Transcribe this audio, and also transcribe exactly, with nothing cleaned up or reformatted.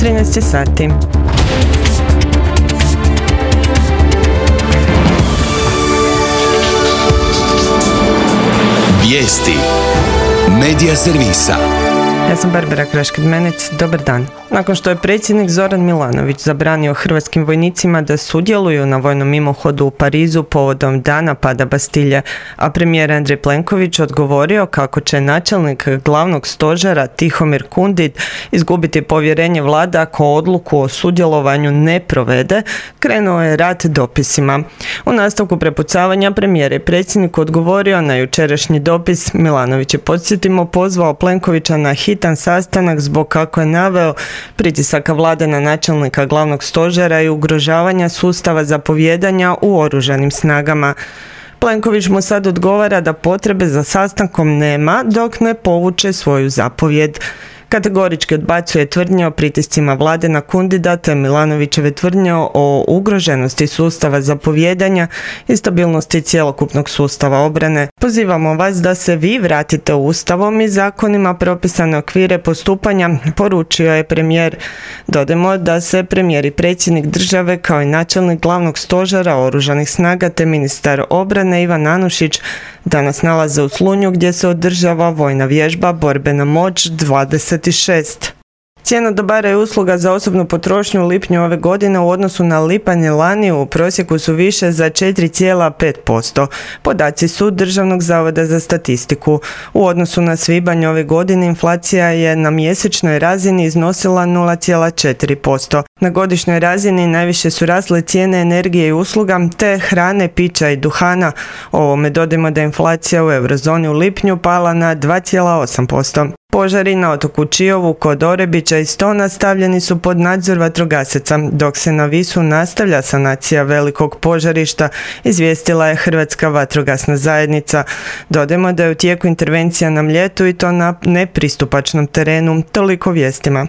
trinaest sati. Vijesti Medija servisa. Ja sam Barbara Kraškid-Menec, dobar dan. Nakon što je predsjednik Zoran Milanović zabranio hrvatskim vojnicima da sudjeluju na vojnom mimohodu u Parizu povodom dana pada Bastilje, a premijer Andrej Plenković odgovorio kako će načelnik glavnog stožera Tihomir Kundit izgubiti povjerenje vlade ako odluku o sudjelovanju ne provede, krenuo je rat dopisima. U nastavku prepucavanja premijer je predsjedniku odgovorio na jučerašnji dopis. Milanović je, podsjetimo, pozvao Plenkovića na hitan sastanak zbog, kako je naveo, pritisaka vlade na načelnika glavnog stožera i ugrožavanja sustava zapovijedanja u oružanim snagama. Plenković mu sad odgovara da potrebe za sastankom nema dok ne povuče svoju zapovjed. Kategorički odbacuje tvrdnje o pritiscima vlade na Kundita te Milanovićeve tvrdnje o ugroženosti sustava zapovijedanja i stabilnosti cjelokupnog sustava obrane. Pozivamo vas da se vi vratite u Ustavom i zakonima propisane okvire postupanja, poručio je premijer. Dodajmo da se premijer i predsjednik države kao i načelnik glavnog stožera oružanih snaga te ministar obrane Ivan Anušić danas nalaze u Slunju gdje se održava vojna vježba Borbena moć dvadeset šest. Cijena dobara i usluga za osobnu potrošnju u lipnju ove godine u odnosu na lipanj lani u prosjeku su više za četiri zarez pet posto. Podaci su Državnog zavoda za statistiku. U odnosu na svibanj ove godine inflacija je na mjesečnoj razini iznosila nula zarez četiri posto. Na godišnjoj razini najviše su rasle cijene energije i usluga te hrane, pića i duhana. Ovome dodajmo da je inflacija u eurozoni u lipnju pala na dva zarez osam posto. Požari na otoku Čiovu kod Orebića i Stona stavljeni su pod nadzor vatrogasaca, dok se na Visu nastavlja sanacija velikog požarišta, izvijestila je Hrvatska vatrogasna zajednica. Dodajmo da je u tijeku intervencija na Mljetu i to na nepristupačnom terenu. Toliko vijestima.